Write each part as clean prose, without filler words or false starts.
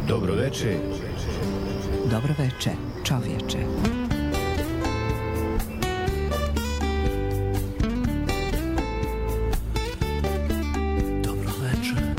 Dobro veče. Dobro veče, čovječe. Dobro veče.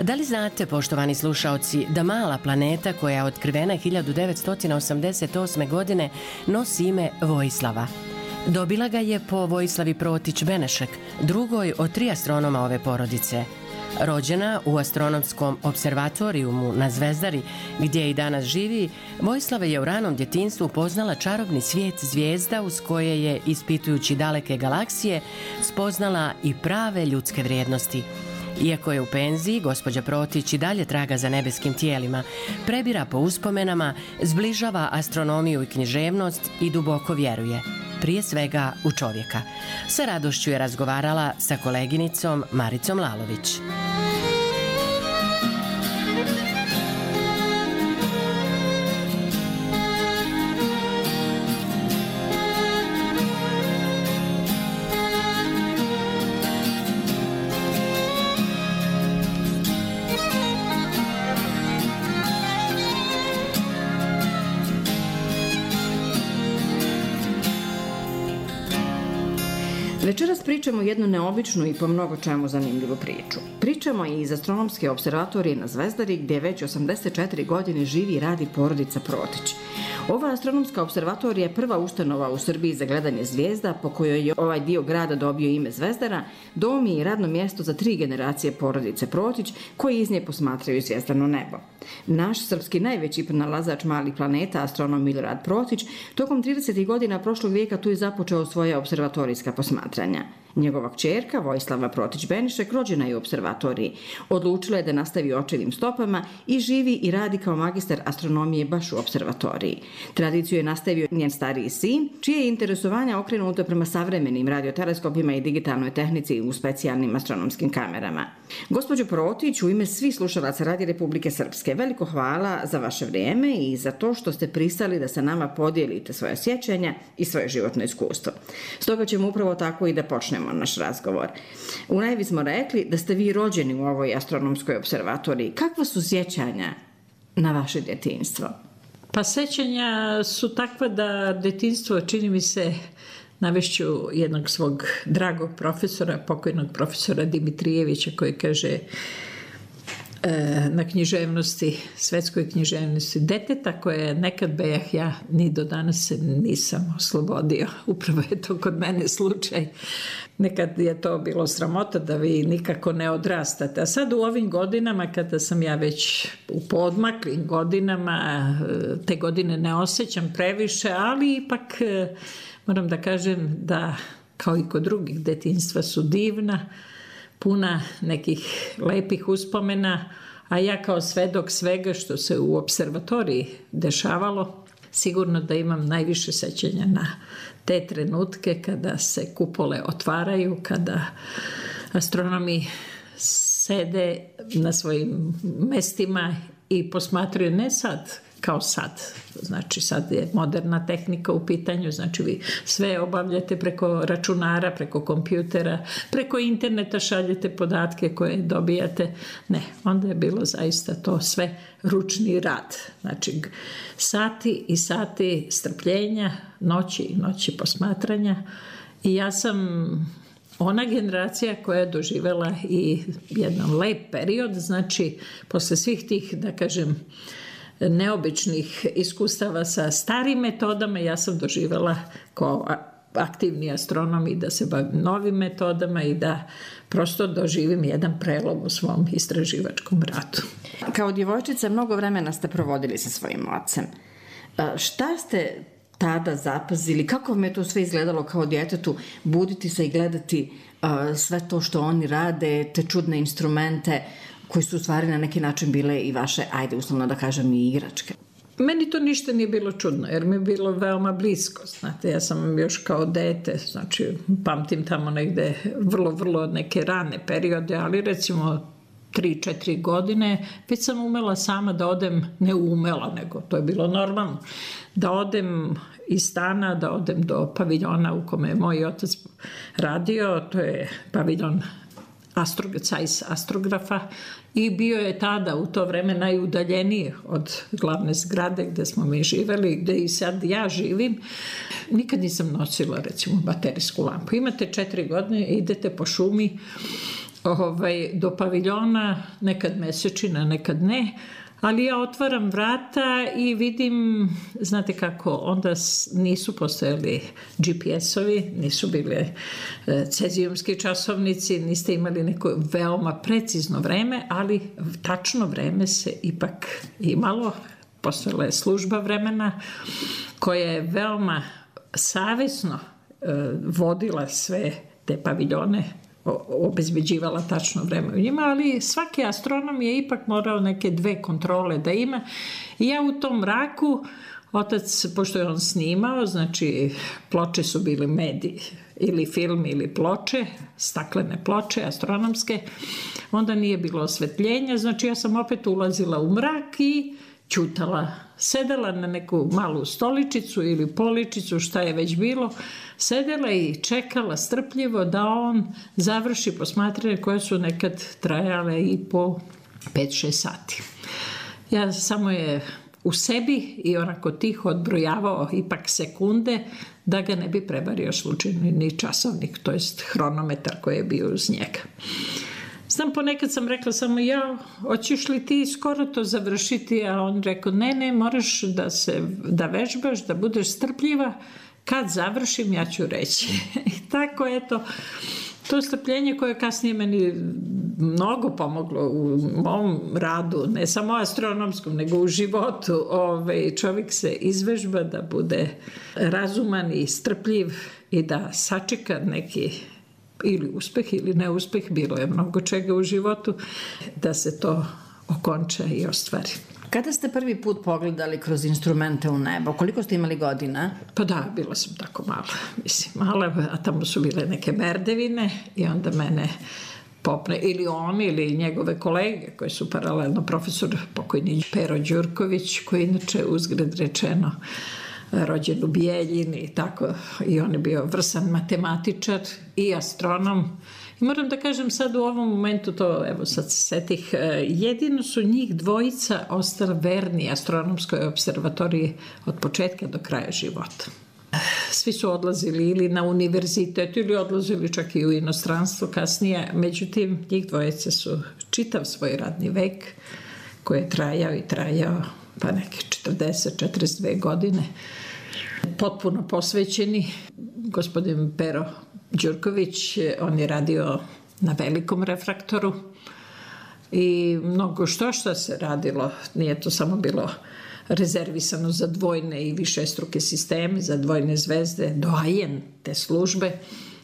Da li znate, poštovani slušaoci, da mala planeta koja je otkrivena 1988. godine nosi ime Vojislava? Dobila ga je po Vojislavi Protić-Benešek, drugoj od 3 astronoma ove porodice. Rođena u astronomskom observatorijumu na Zvezdari, gdje i danas živi, Vojislava je u ranom djetinjstvu upoznala čarobni svijet zvijezda uz koje je, ispitujući daleke galaksije, spoznala i prave ljudske vrijednosti. Iako je u penziji, gospođa Protić i dalje traga za nebeskim tijelima, prebira po uspomenama, zbližava astronomiju i književnost i duboko vjeruje, prije svega u čovjeka. Sa radošću je razgovarala sa koleginicom Maricom Lalović. Večeras pričamo jednu neobičnu i po mnogo čemu zanimljivu priču. Pričamo i iz astronomske observatorije na Zvezdari, gdje već 84 godine živi i radi porodica Protić. Ova astronomska observatorija je prva ustanova u Srbiji za gledanje zvijezda, po kojoj je ovaj dio grada dobio ime Zvezdara, dom i radno mjesto za 3 generacije porodice Protić, koji iz nje posmatraju zvijezdano nebo. Naš srpski najveći pronalazač malih planeta, astronom Milorad Protić, tokom 30. godina prošlog vijeka tu je započeo svoja observatorijska posmatranja. Njegova kćerka, Vojislava Protić-Benešek, rođena je u observatoriji. Odlučila je da nastavi očevim stopama i živi i radi kao magistar astronomije baš u observatoriji. Tradiciju je nastavio njen stariji sin, čije je interesovanje okrenuto prema savremenim radioteleskopima i digitalnoj tehnici u specijalnim astronomskim kamerama. Gospođo Protić, u ime svih slušalaca Radio Republike Srpske, veliko hvala za vaše vrijeme i za to što ste pristali da sa nama podijelite svoje sjećanja i svoje životno iskustvo. Stoga ćemo upravo tako i da počnemo naš razgovor. U najavi smo rekli da ste vi rođeni u ovoj astronomskoj observatoriji. Kakva su sjećanja na vaše djetinjstvo? Pa sjećanja su takva da djetinjstvo, čini mi se, navešću jednog svog dragog profesora, pokojnog profesora Dimitrijevića, koji kaže na književnosti, svetskoj književnosti, deteta koje nekad bejah ja, ni do danas se nisam oslobodio. Upravo je to kod mene slučaj. Nekad je to bilo sramota da vi nikako ne odrastate. A sad u ovim godinama, kada sam ja već u podmaklim godinama, te godine ne osjećam previše, ali ipak moram da kažem da, kao i kod drugih, detinjstva su divna, puna nekih lepih uspomena, a ja kao svedok svega što se u observatoriji dešavalo, sigurno da imam najviše sećanja na te trenutke kada se kupole otvaraju, kada astronomi sede na svojim mestima i posmatraju, ne sad kao sad, znači sad je moderna tehnika u pitanju, znači vi sve obavljate preko računara, preko kompjutera, preko interneta šaljete podatke koje dobijate. Ne, onda je bilo zaista to sve ručni rad. Znači sati i sati strpljenja, noći i noći posmatranja. I ja sam ona generacija koja je doživjela i jedan lep period, znači posle svih tih, da kažem, neobičnih iskustava sa starim metodama, ja sam doživjela kao aktivni astronom i da se bavim novim metodama i da prosto doživim jedan prelom u svom istraživačkom radu. Kao djevojčica mnogo vremena ste provodili sa svojim ocem. Šta ste tada zapazili? Kako vam je to sve izgledalo kao djetetu, buditi se i gledati sve to što oni rade, te čudne instrumente koji su u stvari na neki način bile i vaše, ajde uslovno da kažem, i igračke? Meni to ništa nije bilo čudno, jer mi je bilo veoma blisko. Znate, ja sam još kao dete, znači pamtim tamo negde vrlo neke rane periode, ali recimo 3-4 godine, već sam umela sama da odem, ne umela, nego to je bilo normalno, da odem iz stana, da odem do paviljona u kome je moj otac radio, to je paviljon Zeiss Astrografa, i bio je tada u to vreme najudaljeniji od glavne zgrade gde smo mi živeli, gde i sad ja živim. Nikad nisam nosila recimo baterijsku lampu. Imate 4 godine, idete po šumi do paviljona, nekad mesečina, nekad ne, ali ja otvaram vrata i vidim, znate kako, onda nisu postojali GPS-ovi, nisu bile cezijumski časovnici, niste imali neko veoma precizno vreme, ali tačno vreme se ipak imalo. Postojala je služba vremena koja je veoma savesno vodila sve te paviljone, obezbeđivala tačno vreme u njima, ali svaki astronom je ipak morao neke 2 kontrole da ima. I ja u tom mraku, otac, pošto je on snimao, znači ploče su bili mediji, ili film ili ploče, staklene ploče astronomske, onda nije bilo osvetljenja, znači ja sam opet ulazila u mrak i ćutala, sedela na neku malu stoličicu ili poličicu, šta je već bilo, sedela i čekala strpljivo da on završi posmatranje koje su nekad trajale i po 5-6 sati. Ja samo je u sebi i onako tiho odbrojavao ipak sekunde da ga ne bi prevario slučajno ni časovnik, to jest hronometar koji je bio uz njega. Znam, ponekad sam rekla samo, hoćeš li ti skoro to završiti, a on rekao, ne, moraš da vežbaš, da budeš strpljiva, kad završim ja ću reći. I tako, eto, to strpljenje koje kasnije meni mnogo pomoglo u mom radu, ne samo astronomskom, nego u životu. Čovjek se izvežba da bude razuman i strpljiv i da sačeka neki ili uspeh ili neuspeh, bilo je mnogo čega u životu, da se to okonča i ostvari. Kada ste prvi put pogledali kroz instrumente u nebo? Koliko ste imali godina? Pa da, bila sam tako mala, a tamo su bile neke merdevine i onda mene popne, ili on ili njegove kolege koji su paralelno, profesor pokojni Pero Đurković, koji inače uzgred rečeno rođen u Bijeljini i tako, i on je bio vrsan matematičar i astronom. I moram da kažem sad u ovom momentu, to evo sad se setih, jedino su njih dvojica ostali verni astronomskoj observatoriji od početka do kraja života. Svi su odlazili ili na univerzitet ili odlazili čak i u inostranstvo kasnije, međutim njih dvojica su čitav svoj radni vek koji je trajao pa neke 40-42 godine, potpuno posvećeni. Gospodin Pero Đurković, on je radio na velikom refraktoru i mnogo što se radilo, nije to samo bilo rezervisano za dvojne i višestruke sisteme, za dvojne zvezde, doajen te službe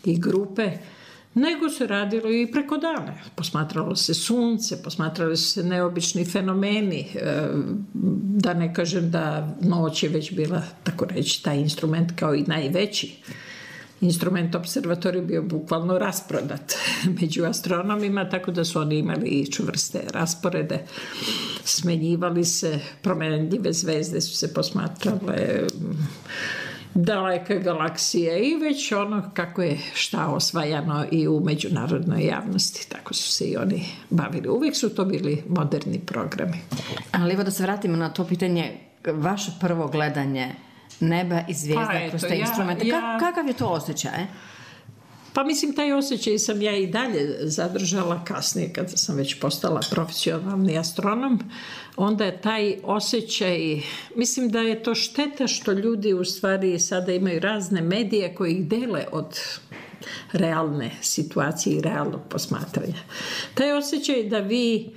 i grupe, nego se radilo i preko dana. Posmatralo se sunce, posmatrali su se neobični fenomeni, da ne kažem da noć je već bila, tako reći, taj instrument kao i najveći instrument observatorija bio bukvalno rasprodat među astronomima, tako da su oni imali i čvrste rasporede, smenjivali se, promenljive zvezde su se posmatrale, daleke galaksije i već ono kako je šta osvajano i u međunarodnoj javnosti, tako su se i oni bavili. Uvijek su to bili moderni programi. Ali evo da se vratimo na to pitanje, vaše prvo gledanje neba i zvijezda kroz te instrumente. Kakav je to osjećaj? Pa mislim, taj osjećaj sam ja i dalje zadržala kasnije kada sam već postala profesionalni astronom. Onda je taj osjećaj, mislim da je to šteta što ljudi u stvari sada imaju razne medije koji ih dele od realne situacije i realnog posmatranja. Taj osjećaj da vi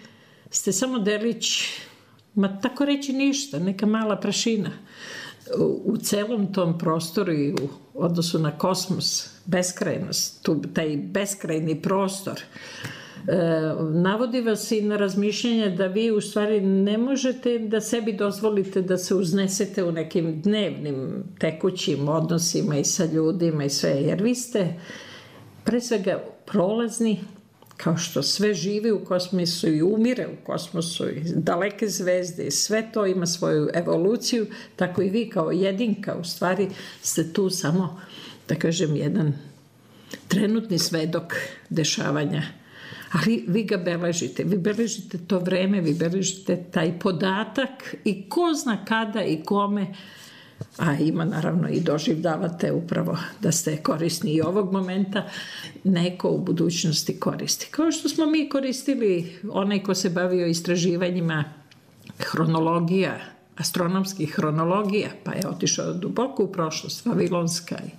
ste samo delić, tako reći ništa, neka mala prašina u celom tom prostoru i u odnosu na kosmos, beskrajnost, taj beskrajni prostor navodi vas i na razmišljanje da vi u stvari ne možete da sebi dozvolite da se uznesete u nekim dnevnim tekućim odnosima i sa ljudima i sve, jer vi ste pre svega prolazni, kao što sve živi u kosmosu i umire u kosmosu i daleke zvezde i sve to ima svoju evoluciju, tako i vi kao jedinka u stvari ste tu samo, da kažem, jedan trenutni svedok dešavanja. Ali vi ga beležite, vi beležite to vreme, vi beležite taj podatak i ko zna kada i kome, a ima naravno i doživljavate upravo da ste korisni i ovog momenta, neko u budućnosti koristi. Kao što smo mi koristili, onaj ko se bavio istraživanjima hronologija, astronomskih hronologija, pa je otišao duboko u prošlost, vavilonska i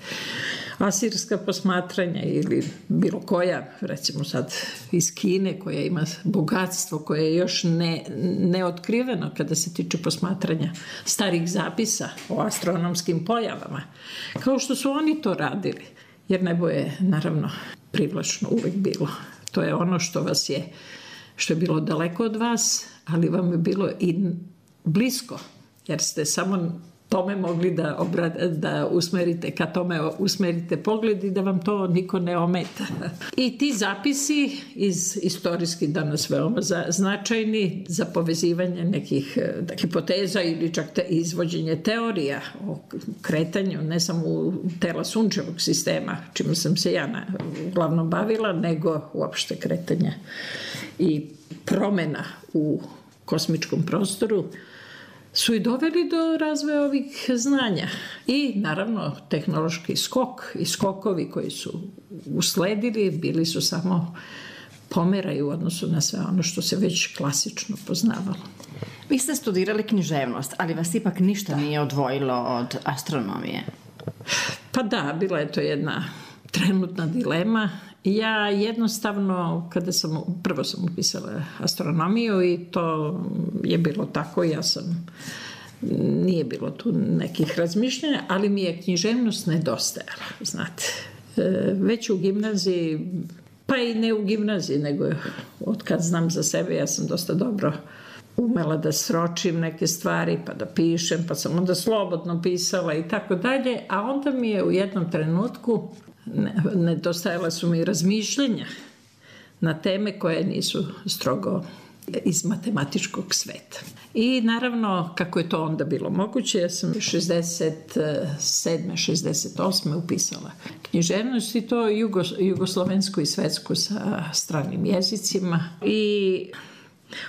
asirska posmatranja ili bilo koja, recimo sad iz Kine, koja ima bogatstvo koje je još neotkriveno kada se tiče posmatranja starih zapisa o astronomskim pojavama. Kao što su oni to radili, jer nebo je naravno privlačno uvek bilo. To je ono što vas je, što je bilo daleko od vas, ali vam je bilo i blisko, jer ste samo tome mogli da usmerite, ka tome usmerite pogled i da vam to niko ne ometa. I ti zapisi istorijski danas veoma značajni za povezivanje nekih hipoteza ili čak izvođenje teorija o kretanju, ne samo u tela sunčevog sistema, čime sam se ja uglavnom bavila, nego uopšte kretanja i promena u kosmičkom prostoru, su i doveli do razvoja ovih znanja. I naravno tehnološki skok i skokovi koji su usledili bili su samo pomeraju u odnosu na sve ono što se već klasično poznavalo. Vi ste studirali književnost, ali vas ipak ništa nije odvojilo od astronomije. Pa da, bila je to jedna trenutna dilema. Ja jednostavno, prvo sam upisala astronomiju i to je bilo tako, nije bilo tu nekih razmišljanja, ali mi je književnost nedostajala, znate. Već u gimnaziji, pa i ne u gimnaziji, nego od kad znam za sebe, ja sam dosta dobro umela da sročim neke stvari, pa da pišem, pa sam onda slobodno pisala i tako dalje, a onda mi je u jednom trenutku nedostajala su mi razmišljenja na teme koje nisu strogo iz matematičkog sveta. I naravno, kako je to onda bilo moguće, ja sam 67. 68. upisala književnost i to jugoslovensku i svetsku sa stranim jezicima. I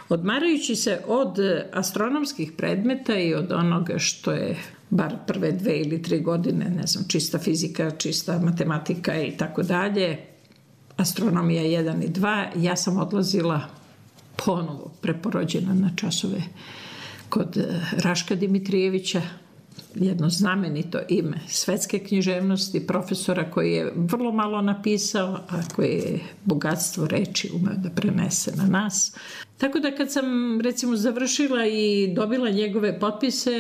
odmarajući se od astronomskih predmeta i od onoga što je bar prve 2 ili 3 godine, ne znam, čista fizika, čista matematika i tako dalje, astronomija 1 i 2, ja sam odlazila ponovo preporođena na časove kod Raška Dimitrijevića, jedno znamenito ime svetske književnosti, profesora koji je vrlo malo napisao, a koji je bogatstvo reči umeo da prenese na nas. Tako da kad sam recimo završila i dobila njegove potpise,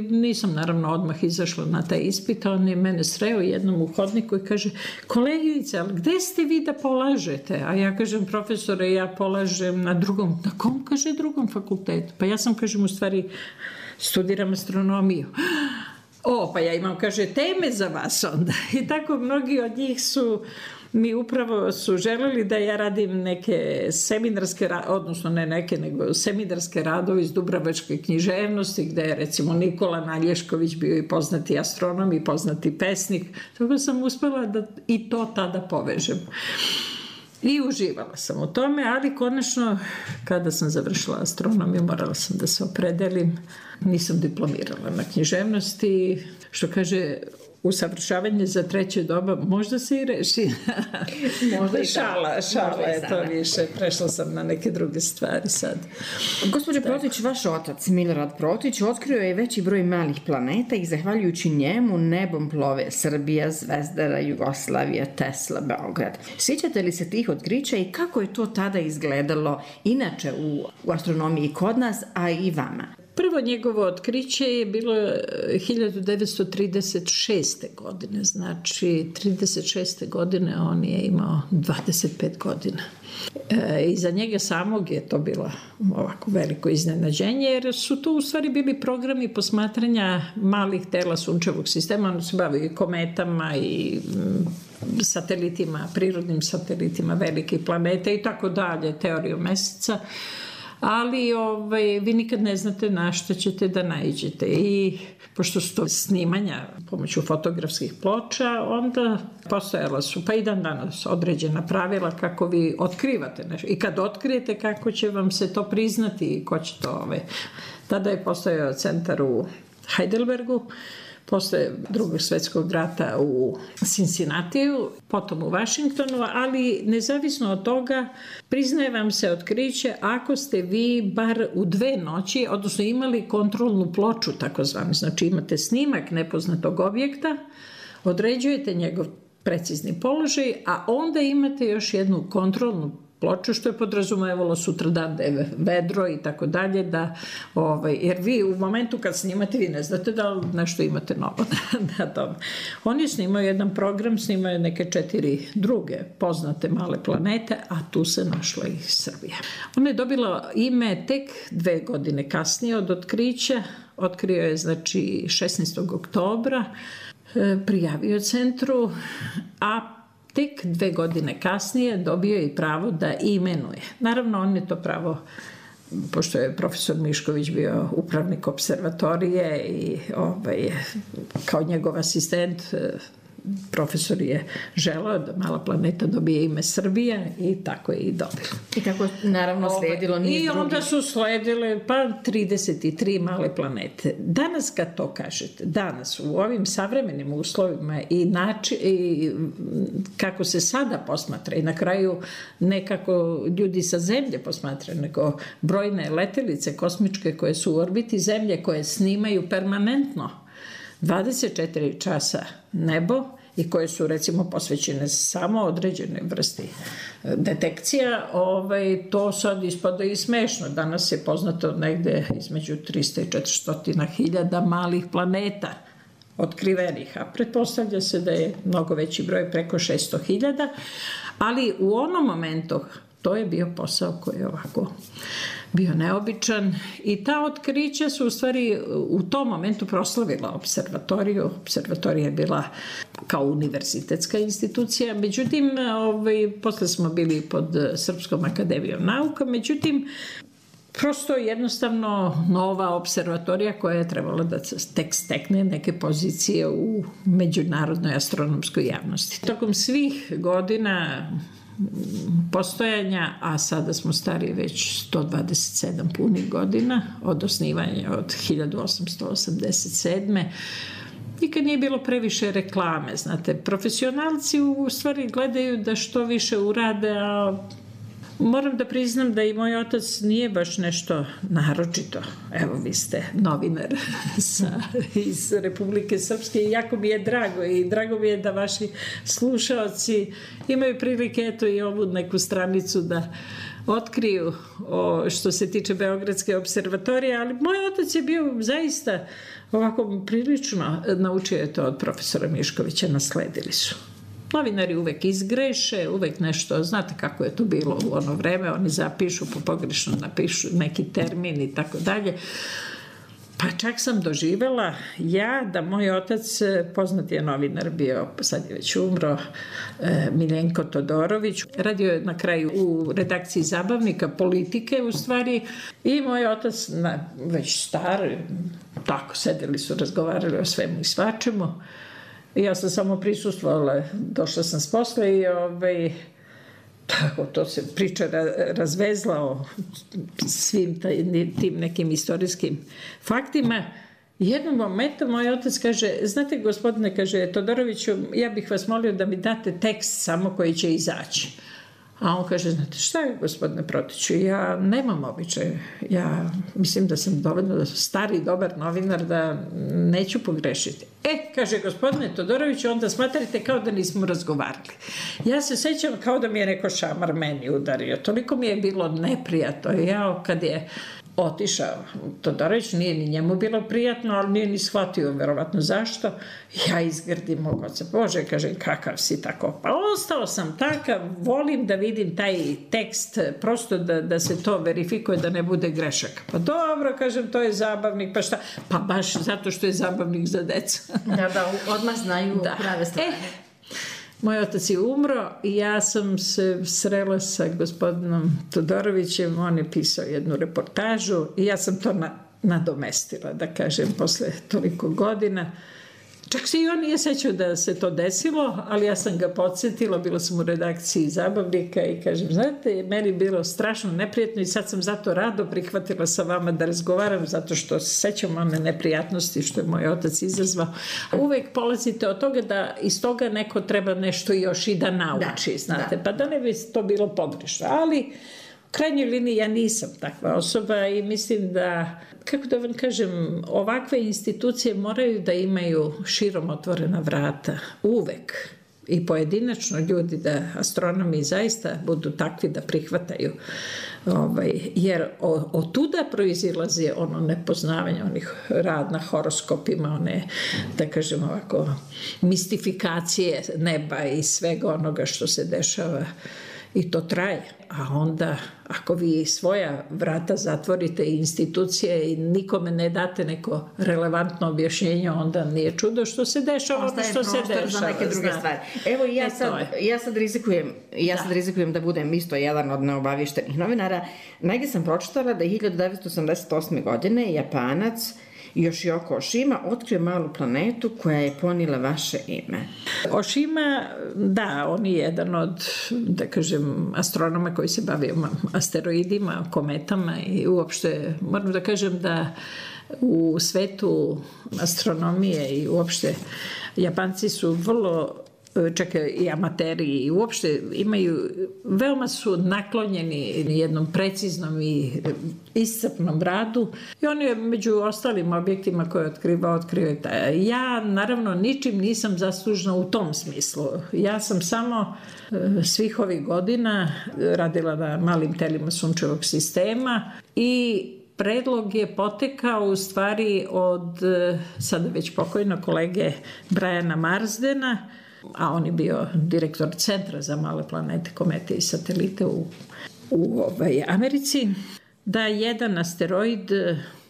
nisam naravno odmah izašla na taj ispit, on je mene sreo jednom u hodniku i kaže: kolegice, ali gde ste vi da polažete? A ja kažem: profesore, ja polažem na drugom. Na kom? Kaže: drugom fakultetu. Pa ja sam, kažem, u stvari studiram astronomiju. Pa ja imam, kaže, teme za vas onda. I tako mnogi od njih mi upravo su želeli da ja radim neke seminarske, odnosno ne neke, nego seminarske radove iz dubrovačke književnosti, gde je recimo Nikola Nalješković bio i poznati astronom i poznati pesnik. Tako sam uspela da i to tada povežem. I uživala sam u tome, ali konačno, kada sam završila astronomiju, morala sam da se opredelim. Nisam diplomirala na književnosti, što kaže, usavršavanje za treće doba možda se i reši. Možda i šala je to više. Prešla sam na neke druge stvari sad. Gospođo Protić, vaš otac, Milorad Protić, otkrio je veći broj malih planeta i zahvaljujući njemu nebom plove Srbija, Zvezdara, Jugoslavija, Tesla, Beograd. Sjećate li se tih otkrića i kako je to tada izgledalo inače u astronomiji kod nas, a i vama? Prvo njegovo otkriće je bilo 1936. godine, znači 36. godine on je imao 25 godina. I za njega samog je to bilo ovako veliko iznenađenje, jer su to u stvari bili programi posmatranja malih tela sunčevog sistema. On se bavio i kometama i satelitima, prirodnim satelitima velikih planeta i tako dalje, teoriju meseca. Ali vi nikad ne znate na što ćete da naiđete. I pošto su to snimanja pomoću fotografskih ploča, onda postojala su pa i dan danas određena pravila kako vi otkrivate nešto. I kad otkrijete, kako će vam se to priznati i ko će to... Tada je postojao centar u Heidelbergu, posle Drugog svjetskog rata u Cincinnatiju, potom u Washingtonu, ali nezavisno od toga priznaje vam se otkriće ako ste vi bar u 2 noći, odnosno imali kontrolnu ploču takozvanu, znači imate snimak nepoznatog objekta, određujete njegov precizni položaj, a onda imate još jednu kontrolnu ploču, što je podrazumevalo sutradan da je vedro i tako dalje, jer vi u momentu kad snimate, vi ne znate da li nešto imate novo na tom. On je snimao jedan program, snimao je neke 4 druge poznate male planete, a tu se našla i Srbija. Ona je dobila ime tek 2 godine kasnije od otkrića. Otkrio je, znači, 16. oktobra, prijavio centru, a tek 2 godine kasnije dobio je i pravo da imenuje. Naravno, on je to pravo, pošto je profesor Mišković bio upravnik observatorije i kao njegov asistent, profesor je želeo da mala planeta dobije ime Srbija i tako je i dobila. I tako naravno sledilo niz drugih. I onda su sledile 33 male planete. Danas kad to kažete, danas u ovim savremenim uslovima i kako se sada posmatra i na kraju nekako ljudi sa Zemlje posmatraju, nego brojne letelice kosmičke koje su u orbiti Zemlje, koje snimaju permanentno 24 časa nebo i koje su recimo posvećene samo određenoj vrsti detekcija, to sad ispada i smešno. Danas je poznato negde između 300 i 400 hiljada malih planeta otkrivenih, a pretpostavlja se da je mnogo veći broj, preko 600 hiljada, ali u onom momentu to je bio posao koji je ovako bio neobičan i ta otkrića su u stvari u tom momentu proslavila observatoriju. Observatorija je bila kao univerzitetska institucija, međutim, posle smo bili pod Srpskom akademijom nauka, međutim, prosto jednostavno nova observatorija koja je trebala da tek stekne neke pozicije u međunarodnoj astronomskoj javnosti. Tokom svih godina postojanja, a sada smo stari već 127 punih godina od osnivanja od 1887. Nikad nije bilo previše reklame, znate. Profesionalci u stvari gledaju da što više urade, a moram da priznam da i moj otac nije baš nešto naročito. Evo, vi ste novinar iz Republike Srpske i jako mi je drago i drago mi je da vaši slušaoci imaju prilike eto i ovu neku stranicu da otkriju što se tiče Beogradske observatorije, ali moj otac je bio zaista ovako prilično, naučio je to od profesora Miškovića, nasledili su. Novinari uvek izgreše, uvek nešto, znate kako je to bilo u ono vreme, oni zapišu, pogrešno napišu neki termin i tako dalje. Pa čak sam doživela da moj otac, poznat je novinar bio, sad je već umro, Miljenko Todorović, radio je na kraju u redakciji Zabavnika, Politike u stvari, i moj otac, već star, tako sedeli su, razgovarali o svemu i svačemu. Ja sam samo prisustvovala, došla sam s posla i tako to se priča razvezla o svim tim nekim istorijskim faktima. Jednom momentu moj otac kaže, znate gospodine, kaže Todoroviću, ja bih vas molio da mi date tekst samo koji će izaći. A on kaže, znate šta je gospodine Protiću, ja nemam običaj, ja mislim da sam dovoljno stari, dobar novinar da neću pogrešiti. Kaže gospodine Todoroviću, onda smatrate kao da nismo razgovarali. Ja se sećam kao da mi je neko šamar meni udario, toliko mi je bilo neprijatno. Kad je otišao Todorović, nije ni njemu bilo prijatno, ali nije ni shvatio verovatno zašto. Ja izgrdim mog oca, Bože, kažem, kakav si tako? Pa ostao sam takav, volim da vidim taj tekst, prosto da se to verifikuje, da ne bude grešaka. Pa dobro, kažem, to je zabavnik, pa šta? Pa baš zato što je zabavnik za decu. Da, odmah znaju prave stvari. Moj otac je umro i ja sam se srela sa gospodinom Todorovićem, on je pisao jednu reportažu i ja sam to nadomestila, da kažem, posle toliko godina. Čak se i on nije sećao da se to desilo, ali ja sam ga podsjetila, bila sam u redakciji Zabavnika i kažem, znate, meni je bilo strašno neprijatno i sad sam zato rado prihvatila sa vama da razgovaram, zato što se sećam one neprijatnosti što je moj otac izazvao. Uvek polazite od toga da iz toga neko treba nešto još i da nauči, znate, pa da ne bi to bilo pogrešno, ali u krajnjoj liniji ja nisam takva osoba i mislim da, kako da vam kažem, ovakve institucije moraju da imaju širom otvorena vrata, uvek. I pojedinačno ljudi, da astronomi zaista budu takvi da prihvataju. Jer od tuda proizilazi ono nepoznavanje, onih rad na horoskopima, one, da kažem ovako, mistifikacije neba i svega onoga što se dešava. I to traje. A onda, ako vi svoja vrata zatvorite i institucije i nikome ne date neko relevantno objašnjenje, onda nije čudo što se dešava ono što se dešava. Za neke druge stvari. Evo, ja sad rizikujem da budem isto jedan od neobavištenih novinara. Negdje sam pročitala da je 1988. godine Japanac Yoshio Oshima otkrio malu planetu koja je ponijela vaše ime. Oshima, da, on je jedan od, da kažem, astronoma koji se bavio asteroidima, kometama i uopšte, moram da kažem da u svetu astronomije i uopšte Japanci su vrlo, čak i amateri i uopšte imaju, veoma su naklonjeni jednom preciznom i iscrpnom radu i on je među ostalim objektima koje otkrio. Ja naravno ničim nisam zaslužna u tom smislu. Ja sam samo svih ovih godina radila na malim telima sunčevog sistema i predlog je potekao u stvari od sada već pokojnog kolege Briana Marsdena, a on je bio direktor Centra za male planete, komete i satelite u Americi, da jedan asteroid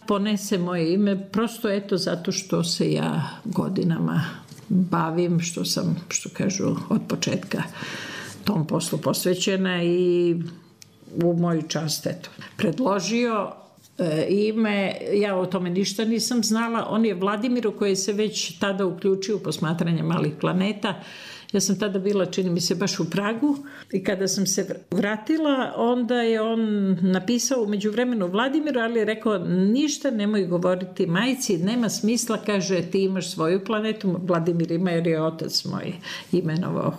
ponese moje ime, prosto eto zato što se ja godinama bavim, što sam, što kažu, od početka tom poslu posvećena i u moju čast, eto, predložio ime, ja o tome ništa nisam znala. On je Vladimiru koji se već tada uključio u posmatranje malih planeta. Ja sam tada bila, čini mi se, baš u Pragu i kada sam se vratila, onda je on napisao u međuvremenu Vladimiru, ali je rekao, ništa nemoj govoriti majci, nema smisla, kaže, ti imaš svoju planetu, Vladimir ima jer je otac moj imenovao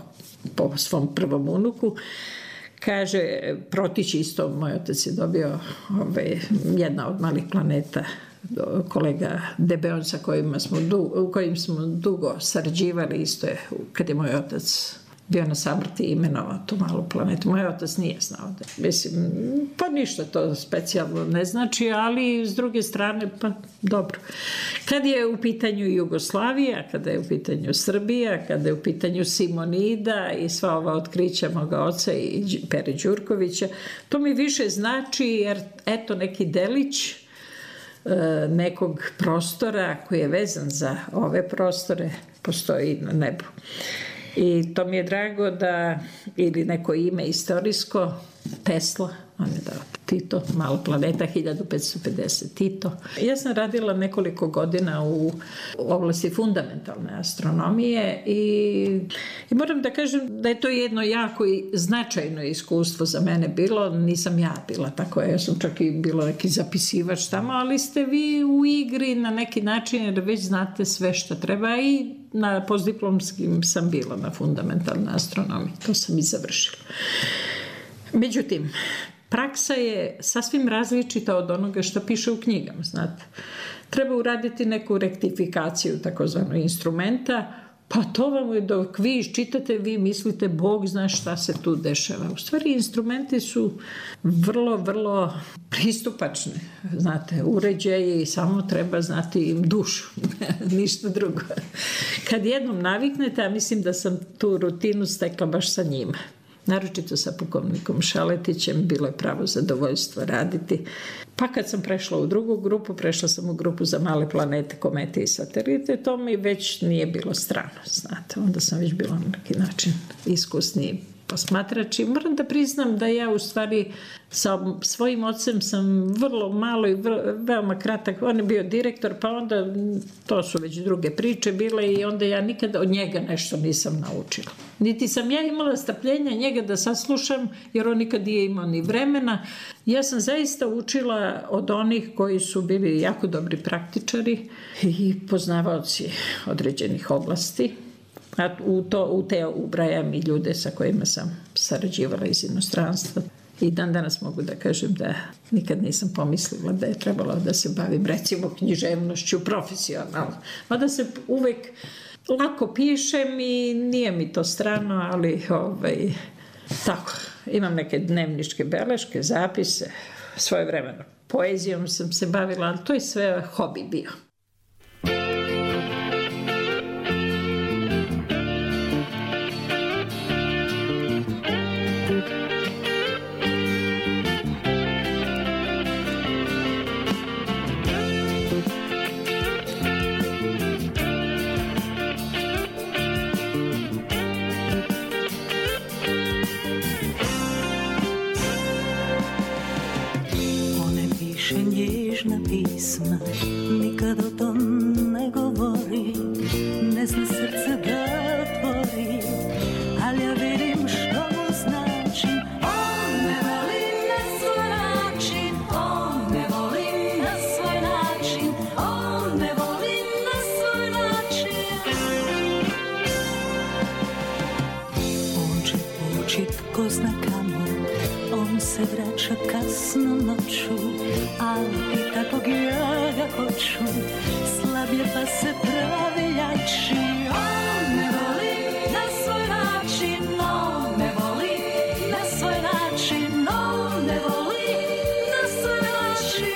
po svom prvom unuku. Kaže, Protić isto, moj otac je dobio jedna od malih planeta, kolega Debeon sa kojim smo dugo sarađivali, isto je, kad je moj otac bio na samrti imenovao tu malu planetu. Moj otac nije znao da, mislim, pa ništa to specijalno ne znači, ali s druge strane, pa dobro. Kad je u pitanju Jugoslavija, kada je u pitanju Srbija, kada je u pitanju Simonida i sva ova otkrića moga oca i Pere Đurkovića, to mi više znači jer eto neki delić nekog prostora koji je vezan za ove prostore postoji na nebu. I to mi je drago da, ili neko ime istorijsko, Tesla, on je dao Tito, mala planeta, 1550, Tito. Ja sam radila nekoliko godina u oblasti fundamentalne astronomije i moram da kažem da je to jedno jako i značajno iskustvo za mene bilo. Nisam ja bila tako, ja sam čak i bila neki zapisivač tamo, ali ste vi u igri na neki način jer već znate sve što treba i na postdiplomskim sam bila na fundamentalnoj astronomiji. To sam i završila. Međutim, praksa je sasvim različita od onoga što piše u knjigama, znate. Treba uraditi neku rektifikaciju takozvano instrumenta, Pa to vam je, dok vi iščitate, vi mislite, Bog zna šta se tu dešava. U stvari, instrumenti su vrlo, vrlo pristupačni. Znate, uređaji, samo treba znati im dušu, ništa drugo. Kad jednom naviknete, a mislim da sam tu rutinu stekla baš sa njima. Naročito sa pukovnikom Šaletićem, bilo je pravo zadovoljstvo raditi. Pa kad sam prešla u drugu grupu, prešla sam u grupu za male planete, komete i satelite, to mi već nije bilo strano, znate. Onda sam već bila na neki način iskusniji posmatrač i moram da priznam da ja u stvari sa svojim ocem sam vrlo malo i veoma kratak, on je bio direktor, pa onda to su već druge priče bile i onda ja nikada od njega nešto nisam naučila. Niti sam ja imala strpljenja njega da saslušam, jer on nikad nije imao ni vremena. Ja sam zaista učila od onih koji su bili jako dobri praktičari i poznavaoci određenih oblasti. A u te ubrajam i ljude sa kojima sam sarađivala iz inostranstva. I dan danas mogu da kažem da nikad nisam pomislila da je trebalo da se bavim recimo književnošću profesionalno. Mada se uvek lako pišem i nije mi to strano, ali tako, imam neke dnevničke beleške, zapise, svojevremeno poezijom sam se bavila, ali to je sve hobi bio. Pisma, nikad o tom ne govori, ne zna srce da otvori, ali ja vidim što mu znači. On me voli na svoj način, on me voli na svoj način, on me voli na svoj način. On će ući tko zna kamo, on se vraća kasno noću, ali kakvog ja ga hoću, slab je pa se pravi jači. On me voli na svoj način, on me voli na svoj način, on me voli na svoj način.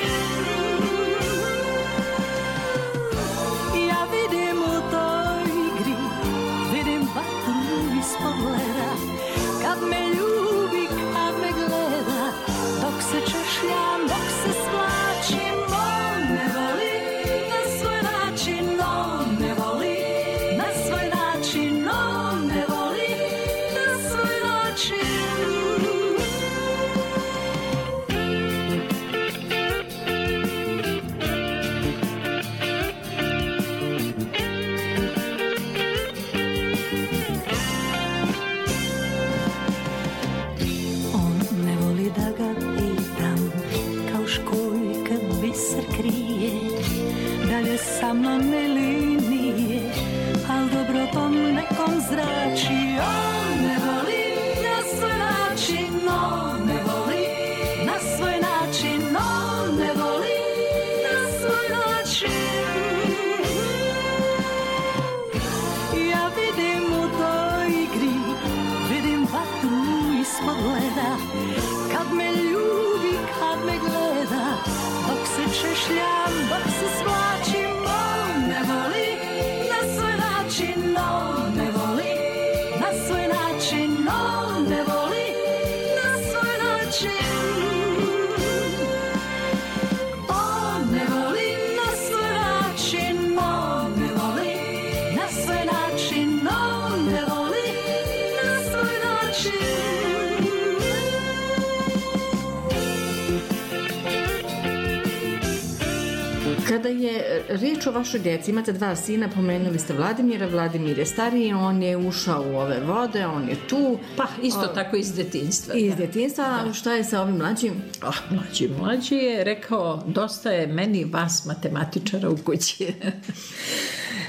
Ja vidim u toj igri, vidim vatru iz pogleda, kad me ljubi, kad me gleda, dok se češljam, dok se svlačim. On me voli na svoj način, on me voli na svoj način, on me voli na svoj način. On ne voli da ga pitam, kao školjka biser krije, da li je sa mnom ili nije, al dobro tom nekom zrači. On me voli na svoj način, on me voli na svoj način, on me voli na svoj način. Ja vidim u toj igri, vidim vatru iz pogleda, kad me ljubi, kad me gleda, dok se češljam, dok se svlačim. On me voli na svoj način, on me voli na svoj način, on me voli na svoj način. On me voli na svoj način, on me voli na svoj način, on me voli na svoj način. Kada je riječ o vašoj djeci, imate dva sina, pomenuli ste Vladimira. Vladimir je stariji, on je ušao u ove vode, on je tu. Pa isto tako iz detinjstva. Iz detinjstva, da. Šta je sa ovim mlađim? Mlađi je rekao, dosta je meni vas matematičara u kući.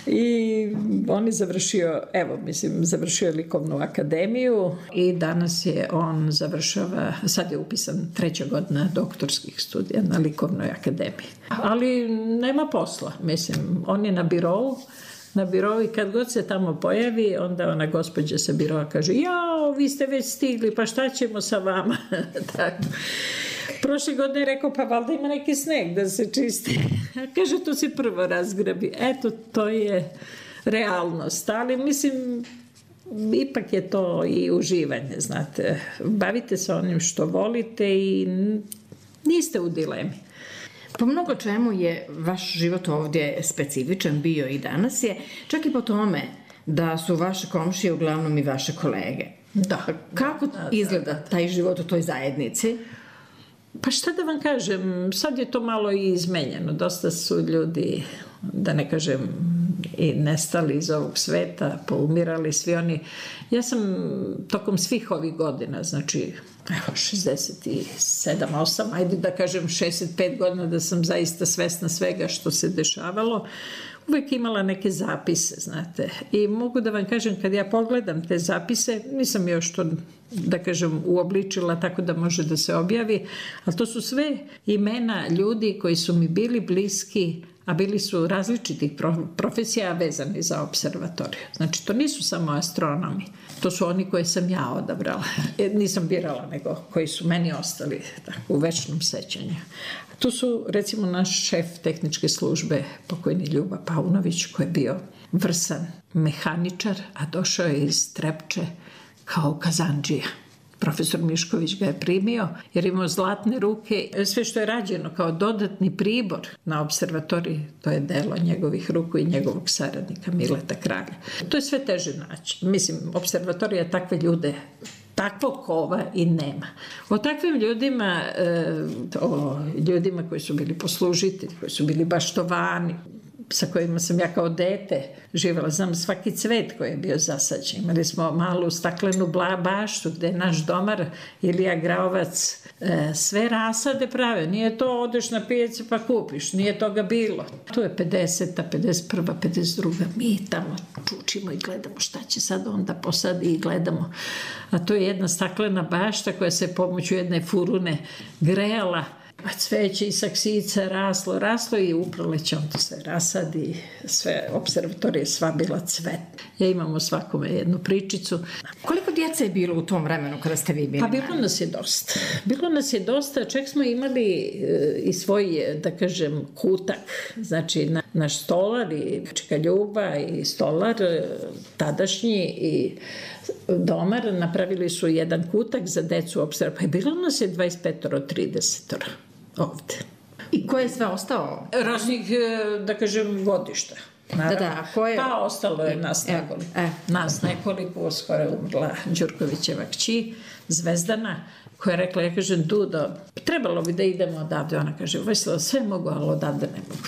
I on je završio likovnu akademiju i danas je on završava, sad je upisan 3. godina doktorskih studija na likovnoj akademiji. Ali nema posla, on je na birou na birou i kad god se tamo pojavi, onda ona gospođa sa biroa kaže, jao, vi ste već stigli, pa šta ćemo sa vama? Tako. Prošle godine je rekao, pa valjda ima neki sneg da se čisti. Kaže, to se prvo razgrabi. Eto, to je realnost. Ali mislim, ipak je to i uživanje, znate. Bavite se onim što volite i niste u dilemi. Po mnogo čemu je vaš život ovdje specifičan bio i danas je, čak i po tome da su vaše komšije uglavnom i vaše kolege. Da. Kako izgleda taj život u toj zajednici? Pa šta da vam kažem, sad je to malo i izmenjeno. Dosta su ljudi, da ne kažem, i nestali iz ovog sveta, poumirali svi oni. Ja sam tokom svih ovih godina, znači 67, 8, ajde da kažem 65 godina da sam zaista svesna svega što se dešavalo, uvijek imala neke zapise, znate. I mogu da vam kažem, kad ja pogledam te zapise, nisam još to, da kažem, uobličila tako da može da se objavi, ali to su sve imena ljudi koji su mi bili bliski, a bili su različitih profesija vezani za observatoriju. Znači, to nisu samo astronomi. To su oni koje sam ja odabrala. Nisam birala, nego koji su meni ostali tako, u večnom sećanju. Tu su, recimo, naš šef tehničke službe, pokojni Ljuba Paunović, koji je bio vrsan mehaničar, a došao je iz Trepče kao kazandžija. Profesor Mišković ga je primio jer imao zlatne ruke. Sve što je rađeno kao dodatni pribor na observatoriji, to je delo njegovih ruku i njegovog saradnika Mileta Kralja. To je sve teže naći. Mislim, observatorija takve ljude, takvog kova i nema. O takvim ljudima, o ljudima koji su bili poslužitelji, koji su bili baštovani, sa kojima sam ja kao dete živjela. Znam svaki cvet koji je bio zasađen. Imali smo malu staklenu baštu gde je naš domar Ilija Graovac sve rasade prave. Nije to odeš na pijacu pa kupiš. Nije toga bilo. To je 50. 51. 52. Mi tamo čučimo i gledamo šta će sad onda posadi i gledamo. A to je jedna staklena bašta koja se pomoću jedne furune grejala. A cveće i saksica raslo i u proleće onda se rasadi, sve observatorije sva bila cvet. Ja imam o svakome jednu pričicu. Koliko djece je bilo u tom vremenu kada ste vi bili? Pa bilo nas je dosta. Bilo nas je dosta, čak smo imali i svoj, da kažem, kutak. Znači, naš stolar i čeka Ljuba i stolar tadašnji i domar napravili su jedan kutak za decu observatorije. Pa bilo nas je 25-30 ovde. I ko je sve ostao? Raznih, da kažem, godišta. Naravno. Da, ko je... Pa ostalo je nas nekoliko. Nas nekoliko, skoro je umrla Đurkovićeva kći, Zvezdana, koja je rekla, ja kažem, Dudo, trebalo bi da idemo odavde. Ona kaže, Vojislava, sve mogu, ali odavde ne mogu.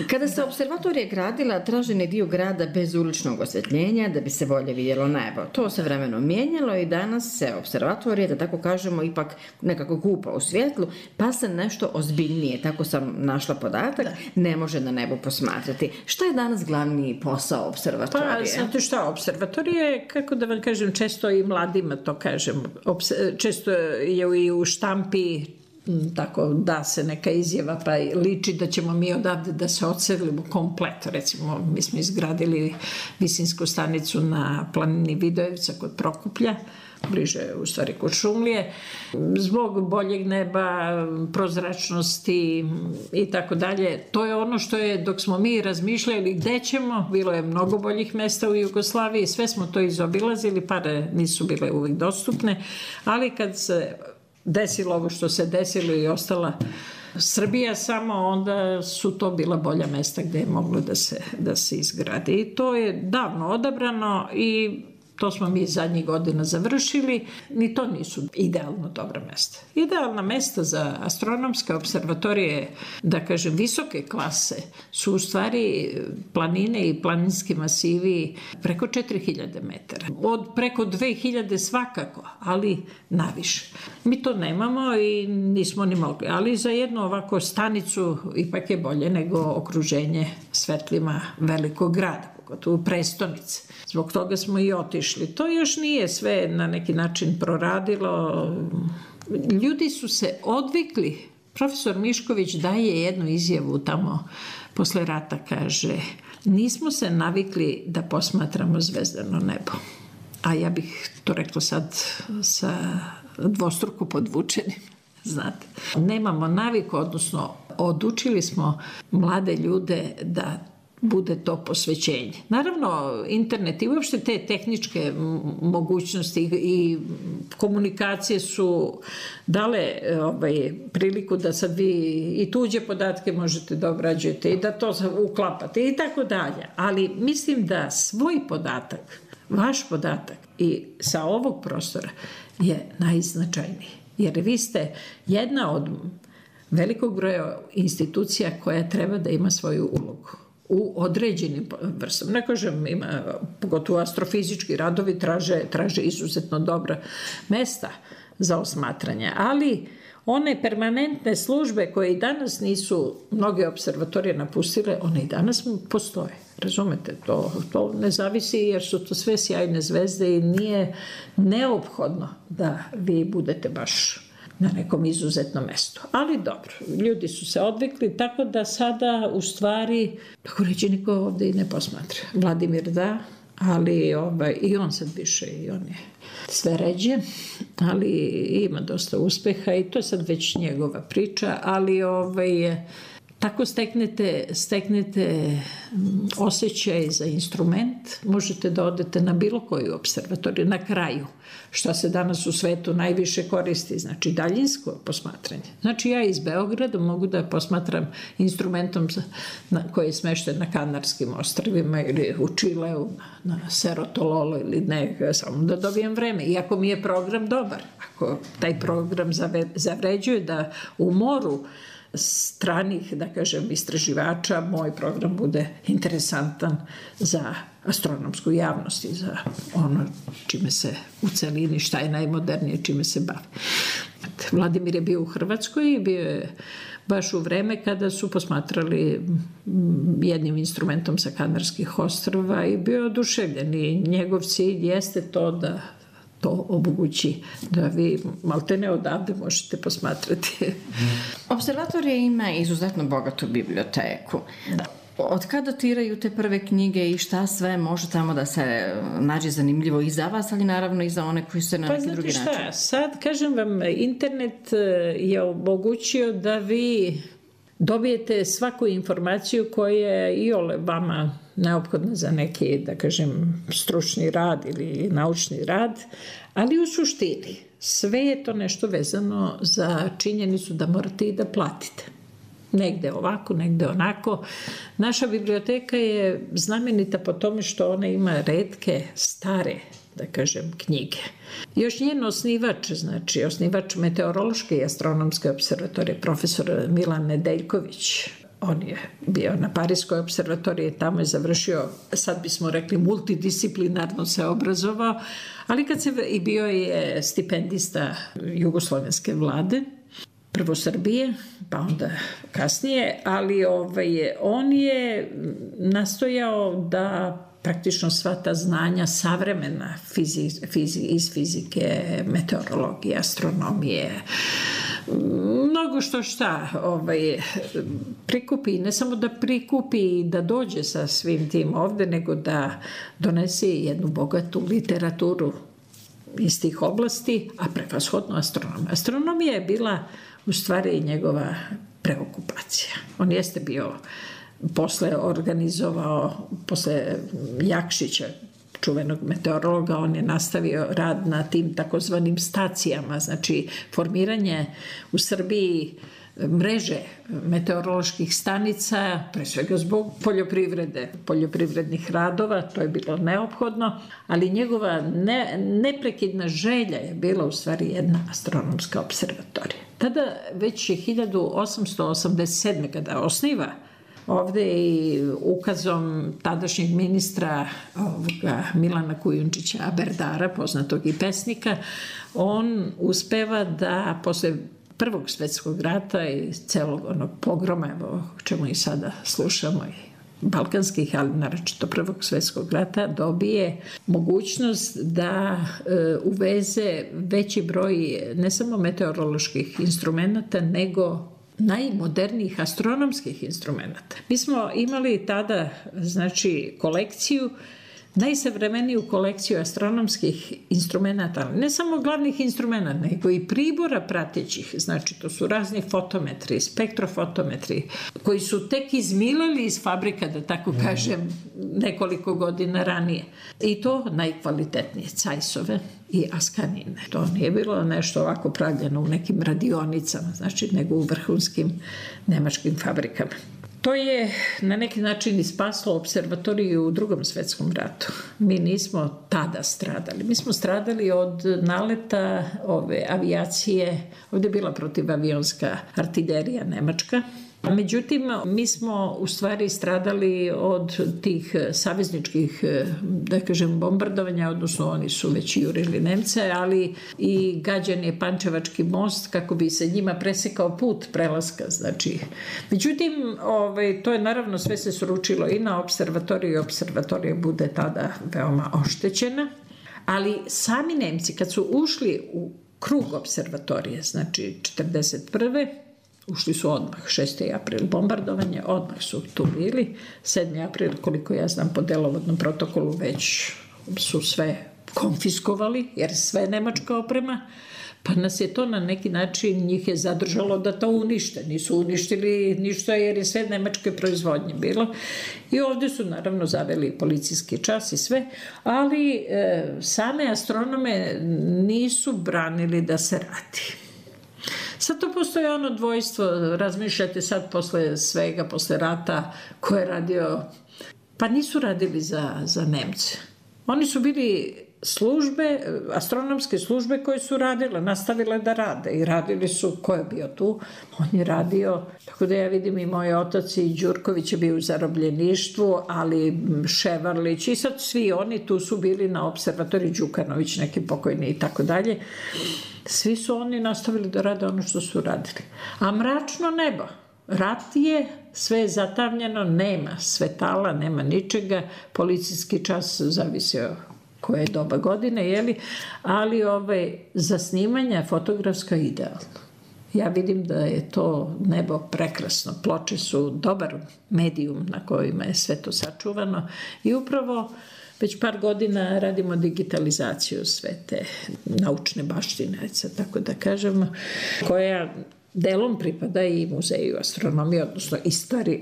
Kada se observatorija gradila, tražen je dio grada bez uličnog osvetljenja da bi se bolje vidjelo nebo. To se vremenom mijenjalo i danas se observatorija, da tako kažemo, ipak nekako kupa u svjetlu, pa se nešto ozbiljnije, tako sam našla podatak, ne može na nebu posmatrati. Šta je danas glavni posao observatorije? Pa, znate šta, observatorija je, kako da vam kažem, često i mladima to kažem, često je i u štampi tako da se neka izjava pa liči da ćemo mi odavde da se odselimo komplet. Recimo, mi smo izgradili visinsku stanicu na planini Vidojevca kod Prokuplja, bliže u stvari kod Šumlije, zbog boljeg neba, prozračnosti i tako dalje. To je ono što je, dok smo mi razmišljali gde ćemo, bilo je mnogo boljih mesta u Jugoslaviji, sve smo to izobilazili, pare nisu bile uvijek dostupne, ali kad se desilo ovo što se desilo i ostala Srbija samo, onda su to bila bolja mesta gde je moglo da se izgradi. I to je davno odabrano i to smo mi zadnjih godina završili. Ni to nisu idealno dobra mesta. Idealna mesta za astronomske observatorije, da kažem, visoke klase, su u stvari planine i planinski masivi preko 4000 metara. Od preko 2000 svakako, ali naviše. Mi to nemamo i nismo ni mogli. Ali za jednu ovako stanicu ipak je bolje nego okruženje svetlima velikog grada, pogotovo prestonice. Zbog toga smo i otišli. To još nije sve na neki način proradilo. Ljudi su se odvikli Profesor Mišković daje jednu izjavu tamo posle rata, kaže: nismo se navikli da posmatramo zvezdano nebo. A ja bih to rekla sad sa dvostruko podvučenim, znate. Nemamo naviku, odnosno odučili smo mlade ljude da bude to posvećenje. Naravno, internet i uopšte te tehničke mogućnosti i komunikacije su dale priliku da sad vi i tuđe podatke možete da obrađujete i da to uklapate i tako dalje. Ali mislim da svoj podatak, vaš podatak i sa ovog prostora je najznačajniji. Jer vi ste jedna od velikog broja institucija koja treba da ima svoju ulogu u određenim vrstama. Ne kažem, ima, pogotovo astrofizički radovi traže izuzetno dobra mesta za osmatranje, ali one permanentne službe koje i danas nisu mnoge observatorije napustile, one i danas postoje. Razumete, to ne zavisi jer su to sve sjajne zvezde i nije neophodno da vi budete baš na nekom izuzetnom mestu. Ali dobro, ljudi su se odvikli, tako da sada u stvari, tako reći, niko ovde i ne posmatra. Vladimir da, ali i on sad više, i on je sve ređe, ali ima dosta uspeha i to je sad već njegova priča, ali tako steknete osjećaj za instrument, možete da odete na bilo koju observatoriju, na kraju, što se danas u svetu najviše koristi, znači daljinsko posmatranje. Znači ja iz Beograda mogu da posmatram instrumentom koji je smešten na Kanarskim ostrvima ili u Čileu, na Cerro Tololo ili ne, samo da dobijem vreme. Iako mi je program dobar, ako taj program zavređuje da u moru stranih, da kažem, istraživača, moj program bude interesantan za astronomsku javnost i za ono čime se u celini, šta je najmodernije, čime se bavi. Vladimir je bio u Hrvatskoj i bio je baš u vreme kada su posmatrali jednim instrumentom sa Kanarskih ostrva i bio oduševljen i njegov cilj jeste to da to omogući da vi maltene odavde možete posmatrati. Observatorija ima izuzetno bogatu biblioteku. Da. Od kada datiraju te prve knjige i šta sve može tamo da se nađe zanimljivo i za vas, ali naravno i za one koji se na neki drugi način? Pa znate šta, sad kažem vam, internet je omogućio da vi dobijete svaku informaciju koja je i vama neophodna za neki, da kažem, stručni rad ili naučni rad, ali u suštini sve je to nešto vezano za činjenicu da morate i da platite. Negde ovako, negde onako. Naša biblioteka je znamenita po tome što ona ima retke, stare, da kažem, knjige. Još njen osnivač, znači osnivač Meteorološke i astronomske observatorije, profesor Milan Nedeljković, on je bio na Parijskoj observatoriji, tamo je završio, sad bismo rekli, multidisciplinarno se obrazovao, ali i bio je stipendista jugoslovenske vlade, prvo Srbije, pa onda kasnije, ali on je nastojao da praktično sva ta znanja savremena iz fizike, meteorologije, astronomije, mnogo šta prikupi, ne samo da prikupi i da dođe sa svim tim ovde, nego da donese jednu bogatu literaturu iz tih oblasti, a prevashodno astronomija. Astronomija je bila u stvari njegova preokupacija. On jeste bio posle organizovao, posle Jakšića, čuvenog meteorologa, on je nastavio rad na tim takozvanim stacijama, znači formiranje u Srbiji mreže meteoroloških stanica, pre svega zbog poljoprivrednih radova, to je bilo neophodno, ali njegova neprekidna želja je bila u stvari jedna astronomska observatorija. Tada već je 1887. kada osniva ovde i ukazom tadašnjeg ministra Milana Kujundžića Aberdara, poznatog i pesnika, on uspeva da posle Prvog svetskog rata i celog onog pogroma, evo o čemu i sada slušamo, i balkanskih, ali naročito Prvog svetskog rata, dobije mogućnost da uveze veći broj ne samo meteoroloških instrumenta, nego najmodernijih astronomskih instrumenta. Mi smo imali tada, znači, kolekciju, najsavremeniju kolekciju astronomskih instrumenta, ne samo glavnih instrumenta, nego i pribora pratećih, znači to su razni fotometri, spektrofotometri, koji su tek izmilali iz fabrika, da tako kažem, nekoliko godina ranije. I to najkvalitetnije, Zeissove i Ascanine. To nije bilo nešto ovako pravljeno u nekim radionicama, znači, nego u vrhunskim nemačkim fabrikama. To je na neki način i spaslo observatoriju u Drugom svetskom ratu. Mi nismo tada stradali. Mi smo stradali od naleta ove avijacije. Ovdje je bila protivavionska artiljerija nemačka. Međutim, mi smo u stvari stradali od tih savezničkih, da kažem, bombardovanja, odnosno oni su već jurili Nemce, ali i gađan je Pančevački most kako bi se njima presekao put prelaska. Znači, međutim, to je naravno sve se sručilo i na observatoriju i observatorija bude tada veoma oštećena, ali sami Nemci kad su ušli u krug observatorije, znači 1941. Ušli su odmah, 6. april bombardovanje, odmah su tu bili. 7. april, koliko ja znam, po delovodnom protokolu već su sve konfiskovali, jer sve nemačka oprema, pa nas je to na neki način, njih je zadržalo da to unište. Nisu uništili ništa jer je sve nemačke proizvodnje bilo. I ovdje su naravno zaveli policijski čas i sve, ali same astronome nisu branili da se radi. Sad to postoji ono dvojstvo, razmišljate sad posle svega, posle rata, ko je radio, pa nisu radili za Nemce. Oni su bili službe, astronomske službe koje su radile, nastavile da rade i radili su, ko je bio tu, on je radio, tako da ja vidim i moj otac i Đurković je bio u zarobljeništvu, ali Ševarlić i sad svi oni tu su bili na observatoriji, Đukanović neki pokojni i tako dalje. Svi su oni nastavili da rade ono što su radili. A mračno nebo, rat je, sve je zatamljeno, nema svetala, nema ničega, policijski čas zavisio koje je doba godine, jeli? Ali za snimanja fotografska idealno. Ja vidim da je to nebo prekrasno. Ploče su dobar medijum na kojima je sve to sačuvano i upravo već par godina radimo digitalizaciju sve te naučne baštine, tako da kažemo, koja delom pripada i muzeju astronomije, odnosno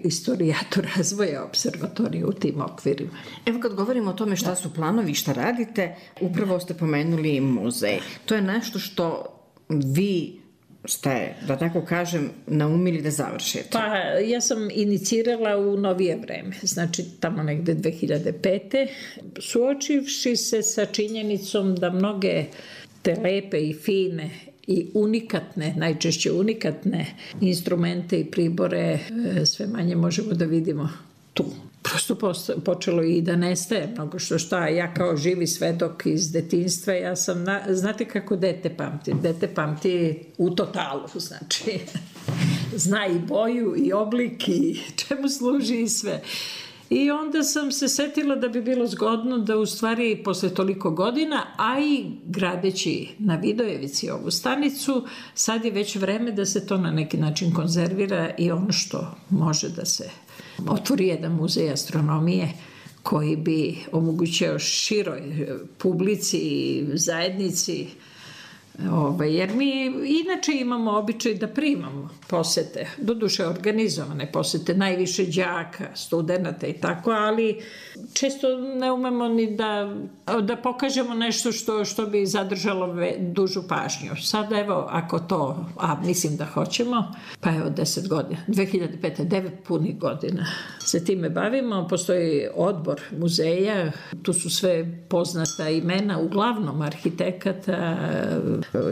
istorijatu razvoja observatorije u tim okvirima. Evo kad govorimo o tome šta su planovi, šta radite, upravo ste pomenuli muzej. To je nešto što vi ste, da tako kažem, naumili da završite? Pa ja sam inicirala u novije vreme, znači tamo negde 2005. Suočivši se sa činjenicom da mnoge te lepe i fine i unikatne, najčešće unikatne instrumente i pribore sve manje možemo da vidimo tu. Prosto počelo i da nestaje mnogo šta. Ja kao živi svedok iz detinjstva, ja sam, znate kako dete pamti? Dete pamti u totalu, znači zna i boju i oblik i čemu služi i sve. I onda sam se setila da bi bilo zgodno da u stvari posle toliko godina, a i gradeći na Vidojevici ovu stanicu, sad je već vreme da se to na neki način konzervira i ono što može da se otvori jedan muzej astronomije koji bi omogućio široj publici i zajednici, jer mi inače imamo običaj da primamo posete, doduše organizovane posete, najviše đaka, studenata i tako, ali često ne umemo ni da pokažemo nešto što bi zadržalo dužu pažnju. Sada evo, ako to, a mislim da hoćemo, pa evo 10 godina, 2005. 9 punih godina se time bavimo, postoji odbor muzeja, tu su sve poznata imena, uglavnom arhitekata,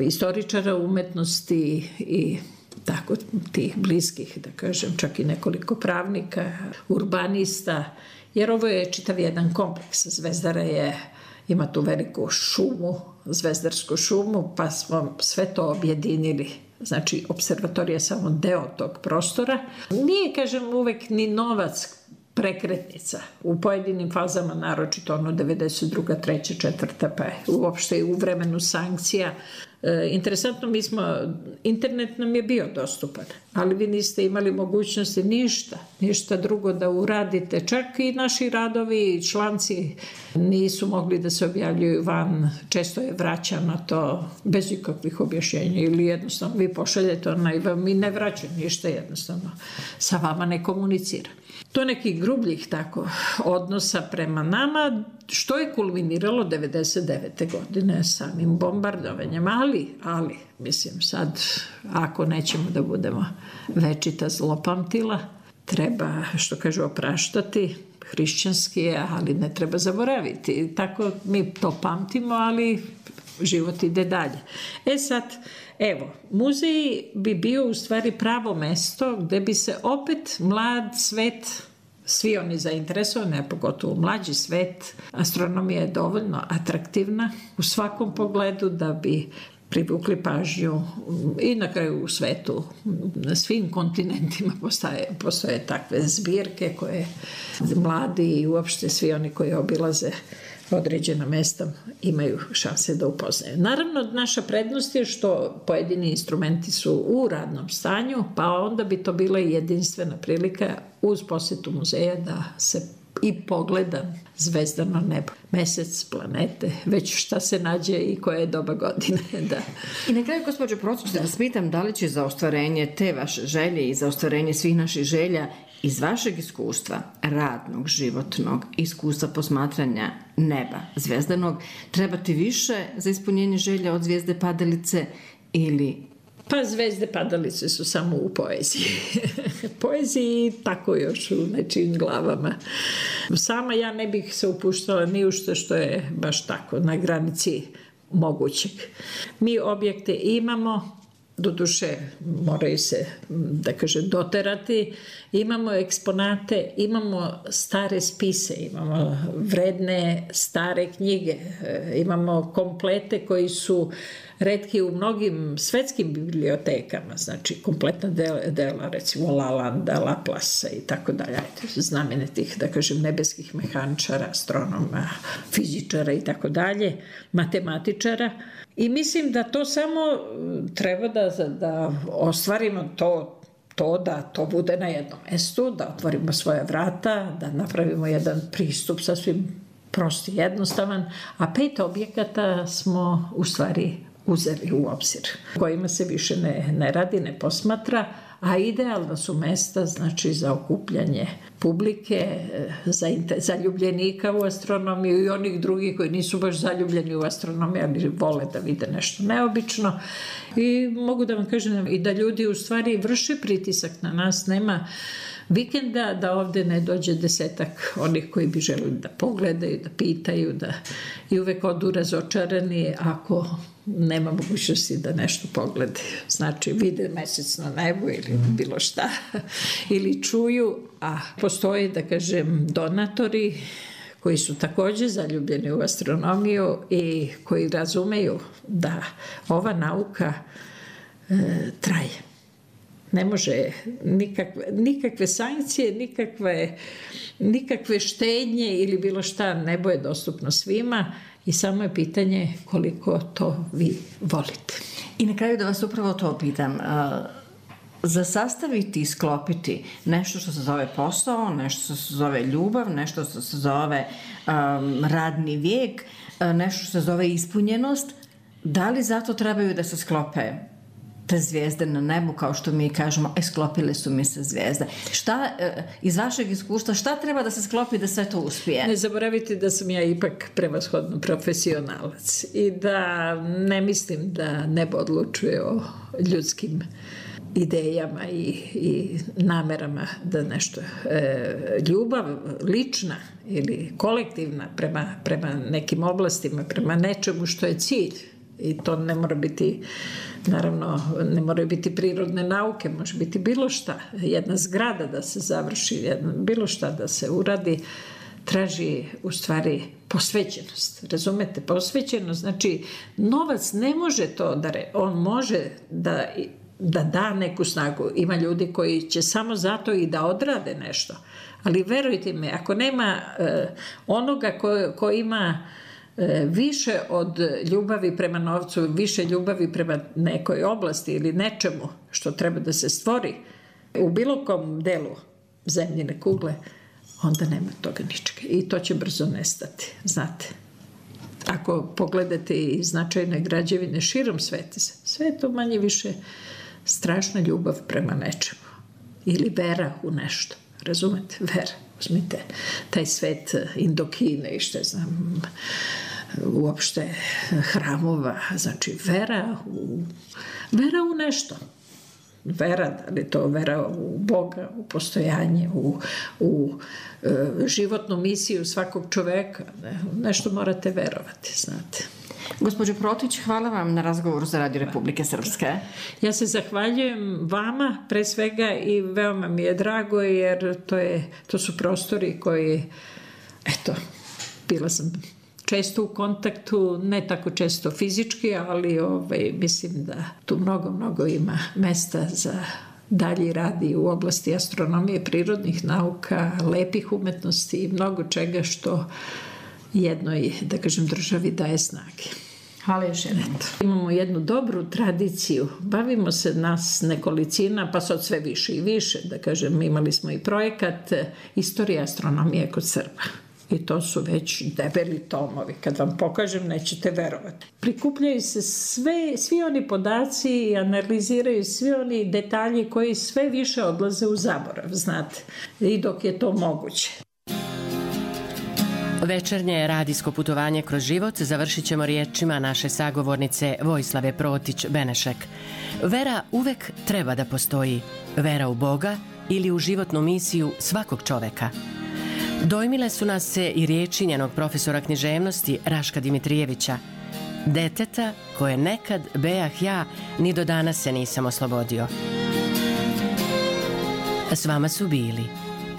istoričara umetnosti i tako tih bliskih, da kažem, čak i nekoliko pravnika, urbanista, jer ovo je čitav jedan kompleks. Zvezdara ima tu veliku šumu, zvezdarsku šumu, pa smo sve to objedinili. Znači, observatorija je samo deo tog prostora. Nije, kažem, uvek ni novac prekretnica. U pojedinim fazama, naročito 92., 3., 4., pa uopšte i u vremenu sankcija, Interesantno, internet nam je bio dostupan, ali vi niste imali mogućnosti ništa drugo da uradite. Čak i naši radovi, članci nisu mogli da se objavljuju van, često je vraćano to bez ikakvih objašnjenja ili jednostavno vi pošaljete onaj vam i ne vraća ništa, jednostavno sa vama ne komunicira. To nekih grubljih tako odnosa prema nama, što je kulminiralo 99. godine samim bombardovanjem, ali, mislim sad, ako nećemo da budemo večita zlopamtila, treba, što kažu, opraštati, hrišćanski je, ali ne treba zaboraviti. Tako mi to pamtimo, ali život ide dalje. Sad, evo, muzej bi bio u stvari pravo mesto gde bi se opet mlad svet, svi oni zainteresovani, a pogotovo mlađi svet, astronomija je dovoljno atraktivna u svakom pogledu da bi privukli pažnju i na kraju u svetu, na svim kontinentima postoje takve zbirke koje mladi i uopšte svi oni koji obilaze određena mesta imaju šanse da upoznaju. Naravno, naša prednost je što pojedini instrumenti su u radnom stanju, pa onda bi to bila jedinstvena prilika uz posetu muzeja da se i pogleda zvezdano nebo, mesec, planete, već šta se nađe i koje je doba godine. Da. I na kraju, gospođo Procić, da vas pitam da li će za ostvarenje te vaše želje i za ostvarenje svih naših želja iz vašeg iskustva, radnog, životnog, iskustva posmatranja neba zvezdanog, trebati više za ispunjenje želja od zvijezde padalice ili... Pa zvezde padalice su samo u poeziji. Poeziji tako još u nečijim glavama. Sama ja ne bih se upuštala ni u što je baš tako na granici mogućeg. Mi objekte imamo, doduše moraju se, da kažem, doterati, imamo eksponate, imamo stare spise, imamo vredne stare knjige, imamo komplete koji su retki u mnogim svetskim bibliotekama, znači kompletna dela, recimo Lalanda, Laplasa i tako dalje, znamenitih, da kažem, nebeskih mehaničara, astronoma, fizičara i tako dalje, matematičara. I mislim da to samo treba da ostvarimo to da to bude na jednom mestu, da otvorimo svoje vrata, da napravimo jedan pristup sasvim prost i jednostavan, a 5 objekata smo u stvari uzeli u obzir, kojima se više ne radi, ne posmatra, a idealna su mesta, znači, za okupljanje publike, zaljubljenika u astronomiju i onih drugih koji nisu baš zaljubljeni u astronomiju, ali vole da vide nešto neobično. I mogu da vam kažem i da ljudi u stvari vrše pritisak na nas, nema vikenda da ovde ne dođe 10 onih koji bi želeli da pogledaju, da pitaju, i uvek odu razočarani ako nema mogućnosti da nešto pogledaju. Znači, vide mesec na nebu ili bilo šta, ili čuju, a postoje, da kažem, donatori koji su takođe zaljubljeni u astronomiju i koji razumeju da ova nauka traje. Ne može nikakve sankcije, nikakve štednje ili bilo šta, nebo je dostupno svima i samo je pitanje koliko to vi volite. I na kraju da vas upravo to pitam, za sastaviti i sklopiti nešto što se zove posao, nešto što se zove ljubav, nešto što se zove radni vijek, nešto što se zove ispunjenost, da li zato trebaju da se sklope te zvijezde na nebu, kao što mi kažemo, sklopile su mi se zvijezde. Šta, iz vašeg iskustva, šta treba da se sklopi da sve to uspije? Ne zaboravite da sam ja ipak prevashodno profesionalac i da ne mislim da nebo odlučuje o ljudskim idejama i namerama da nešto. Ljubav lična ili kolektivna prema nekim oblastima, prema nečemu što je cilj, i to ne mora biti, naravno, ne moraju biti prirodne nauke, može biti bilo šta, jedna zgrada da se završi, bilo šta da se uradi, traži u stvari posvećenost. Razumete? Posvećenost, znači novac ne može to on može da da neku snagu. Ima ljudi koji će samo zato i da odrade nešto. Ali verujte mi, ako nema onoga ko ima više od ljubavi prema novcu, više ljubavi prema nekoj oblasti ili nečemu što treba da se stvori u bilo kom delu zemljine kugle, onda nema toga ničega. I to će brzo nestati, znate. Ako pogledate i značajne građevine širom sveta, sve je to manje više strašna ljubav prema nečemu. Ili vera u nešto. Razumete? Vera. Uzmite taj svet Indokine i što znam, uopšte hramova. Znači, vera u nešto. Vera, da li to vera u Boga, u postojanje, u životnu misiju svakog čoveka. Nešto morate verovati, znate. Gospođo Protić, hvala vam na razgovoru za Radio Republike Srpske. Ja se zahvaljujem vama pre svega i veoma mi je drago jer to su prostori koji, eto, bila sam često u kontaktu, ne tako često fizički, ali mislim da tu mnogo ima mesta za dalji rad i u oblasti astronomije, prirodnih nauka, lepih umetnosti i mnogo čega što jednoj, da kažem, državi daje snage. Hvala još jednom. Imamo jednu dobru tradiciju. Bavimo se nas nekolicina, pa sad sve više i više. Da kažem, imali smo i projekat Istorija astronomije kod Srba. I to su već debeli tomovi. Kad vam pokažem, nećete verovati. Prikupljaju se svi oni podaci i analiziraju svi oni detalji koji sve više odlaze u zaborav, znate. I dok je to moguće. Večernje radijsko putovanje kroz život završit ćemo riječima naše sagovornice Vojislave Protić-Benešek. Vera uvek treba da postoji. Vera u Boga ili u životnu misiju svakog čoveka. Dojmile su nas se i riječi njenog profesora književnosti Raška Dimitrijevića. Deteta koje nekad bejah ja, ni do danas se nisam oslobodio. S vama su bili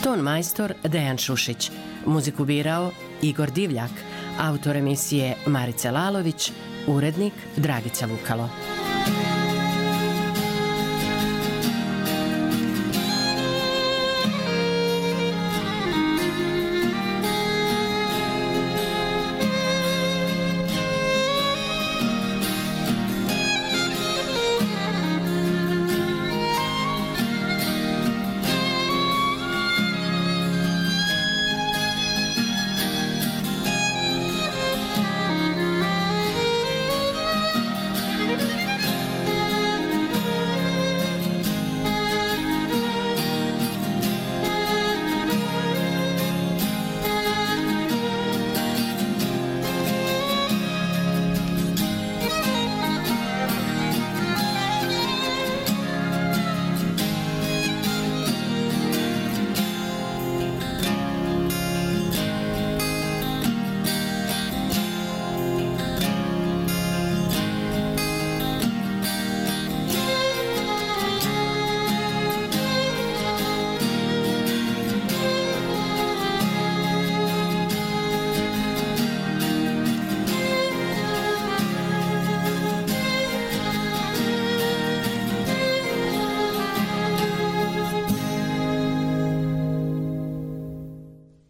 ton majstor Dejan Šušić, muziku birao Igor Divljak, autor emisije Marica Lalović, urednik Dragica Vukalo.